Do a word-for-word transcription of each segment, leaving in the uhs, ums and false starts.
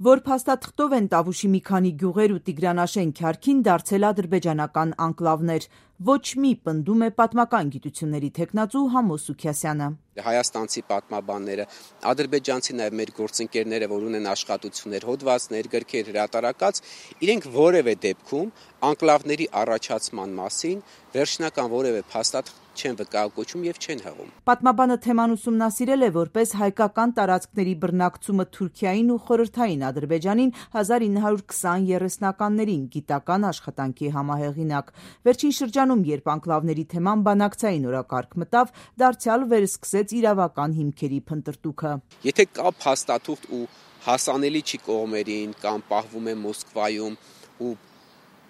Որ փաստաթղթով են Տավուշի մի քանի գյուղեր ու Տիգրանաշեն Քյարքին դարձել ադրբեջանական անկլավներ, ոչ մի, պնդում է պատմական գիտությունների թեկնածու Համո Սուքիասյանը։ Հայաստանցի պատմաբանները, ադրբեջանցի նաև մեր գործընկերները, որ ունեն աշխատություններ, հոդվածներ, գրքեր, հրատարակած, իրենք որևէ դեպքում անկլավների առաջացման մասին վերջնական որևէ փաստաթղթ չեն վկայակոչում եւ չեն հղում։ Պատմաբանը թեման ուսումնասիրել է որպես հայկական տարածքների բռնակցումը Թուրքիային ու Խորհրդային Ադրբեջանին հազար ինը հարյուր քսան երեսնականներին գիտական աշխատանքի համահեղինակ։ Վերջին շրջանում, երբ անկլավների թեման բանակցային օրակարգ մտավ, դարձյալ վերսկսեց իրավական հիմքերի փնտրտուքը։ Եթե կա փաստաթուղթ ու հասանելի չի կողմերին կամ պահվում է Մոսկվայում ու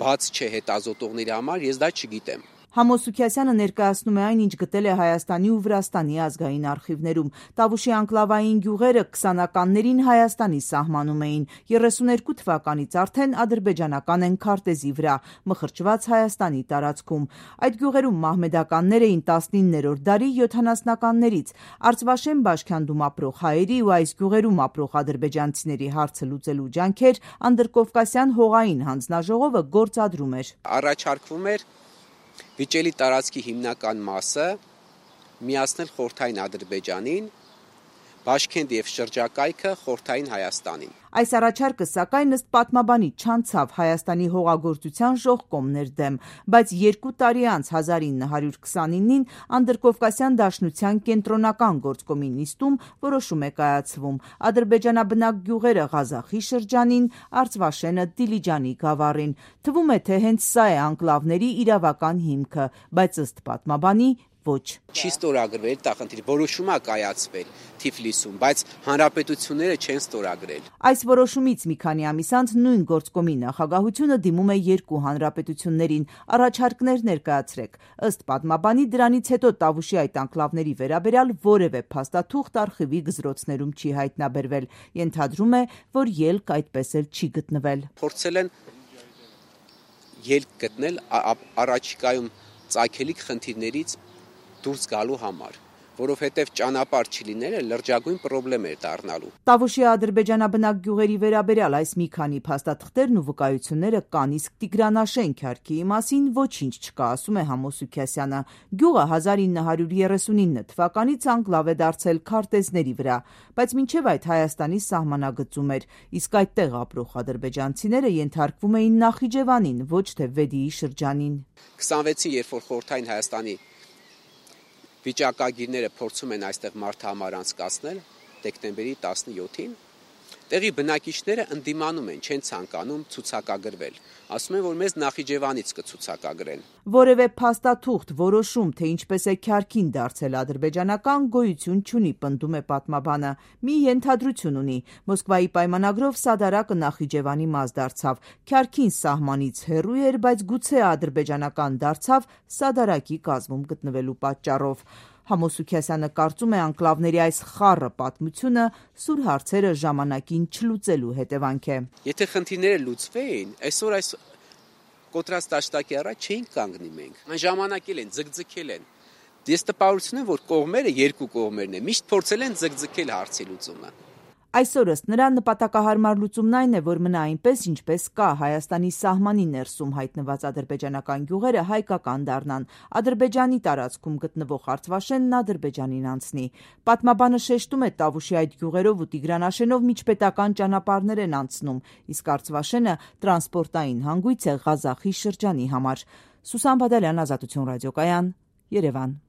բաց չէ հետազոտողների համար, ես դա չգիտեմ։ Համո Սուքիասյանը ներկայացնում է այն, ինչ գտել է Հայաստանի ու Վրաստանի ազգային արխիվներում։ Տավուշի անկլավային գյուղերը քսանականներին Հայաստանի սահմանում էին, երեսուներկու թվականից արդեն ադրբեջանական են քարտեզի վրա, մխրճված Հայաստանի տարածքում։ Այդ գյուղերում մահմեդականներ էին տասնիններորդ դարի յոթանասնականներից։ Արծվաշեն բաշքանդում ապրող հայերի ու այս գյուղերում ապրող ադրբեջանցիների հարցը լուծելու ջանքեր Անդրկովկասյան հողային հանձնաժողովը գործադրում էր։ Առաջարկվում էր վիճելի տարածքի հիմնական մասը միացնել Խորհրդային Ադրբեջանին, Բաշքենդ եւ շրջակայքը Խորհրդային Հայաստանին։ Այս առաջարկը, սակայն, ըստ պատմաբանի, չանցավ Հայաստանի հողագործության ժողկոմներ դեմ, բայց երկու տարի անց հազար ինը հարյուր քսանինին Անդրկովկասյան դաշնության կենտրոնական գործկոմի նիստում որոշում է կայացվում։ Ադրբեջանաբնակ գյուղերը Ղազախի շրջանին, Արծվաշենը Դիլիջանի գավառին։ Թվում է, թե հենց սա է անկլավների իրավական հիմքը, բայց ըստ պատմաբանի ոչ։ Չի ստորագրվել դա խնդիր, որոշումը կայացվել Թիֆլիսում, բայց հանրապետությունները չեն ստորագրել։ Այս որոշումից մի քանի ամիս անց նույն գործկոմի նախագահությունը դիմում է երկու հանրապետություններին, առաջարկներ ներկայացրեք։ Ըստ պատմաբանի, դրանից հետո Տավուշի այդ անկլավների վերաբերյալ որևէ փաստաթուղթ արխիվի գզրոցներում չի հայտնաբերվել։ Ենթադրում է, որ ելք այդպես էլ չի գտնվել։ Փորձել են ելք գտնել առաջիկայում ծագելիք խնդիրներից դուրս գալու համար, որովհետև ճանապարհ չլիները լրջագույն խնդրեմ էր դառնալու։ Տավուշի ադրբեջանաբնակ գյուղերի վերաբերյալ այս մի քանի փաստաթղթերն ու վկայությունները կան, իսկ Տիգրանաշեն Քյարքիի մասին ոչինչ չկա, ասում է Համո Սուքիասյանը։ Գյուղը հազար ինը հարյուր երեսունինը թվականից անկլավ է դարձել քարտեզների վրա, բայց մինչև այդ Հայաստանի սահմանագծում էր, իսկ այդտեղ ապրող ադրբեջանցիները ենթարկվում էին Նախիջևանին, ոչ թե Վեդիի շրջանին։ քսանվեցին, երբ որ Խորհրդային Հայաստանի վիճակագիրները փորձում են այստեղ մարդահամար անցկացնել դեկտեմբերի տասնյոթին, տեղի բնակիչները ընդդիմանում են, չեն ցանկանում ցուցակագրվել։ Ասում են, որ մեզ Նախիջևանից կցուցակագրեն։ Որևէ փաստաթուղթ, որոշում, թե ինչպես է Քյարքին դարձել ադրբեջանական, գոյություն չունի, պնդում է պատմաբանը։ Մի ենթադրություն ունի. Մոսկվայի պայմանագրով Սադարակը Նախիջևանի մաս դարձավ։ Քյարքին սահմանից հեռու էր, բայց գուցե ադրբեջանական դարձավ Սադարակի կազմում գտնվելու պատճառով։ Համո Սուքիասյանը կարծում է անկլավների այս խառը պատմությունը սուր հարցերը ժամանակին չլուծելու հետևանք է։ Եթե խնդիրները լուծվեին, այսօր այս կոտրած տաշտակի առաջ չէին կանգնի մենք։ Այն ժամանակ էլ են ձգձգել են։ Ես տպավորություն եմ, որ կողմերը, երկու կողմերն են, միշտ փորձել են ձգձգել հարցի լուծումը։ Այսօր ըստ նրա նպատակահարմար լուծումն այն է, որ մնա այնպես, ինչպես կա, Հայաստանի սահմանի ներսում հայտնված ադրբեջանական գյուղերը հայկական դառնան, Ադրբեջանի տարածքում գտնվող Արծվաշենն Ադրբեջանին անցնի։ Պատմաբանը շեշտում է Տավուշի այդ գյուղերով ու Տիգրանաշենով միջպետական ճանապարհներ են անցնում, իսկ Արծվաշենը տրանսպորտային հանգույց է Ղազախի շրջանի համար։ Սուսան Բադալյան, Ազատություն ռադիոկայան, Երևան։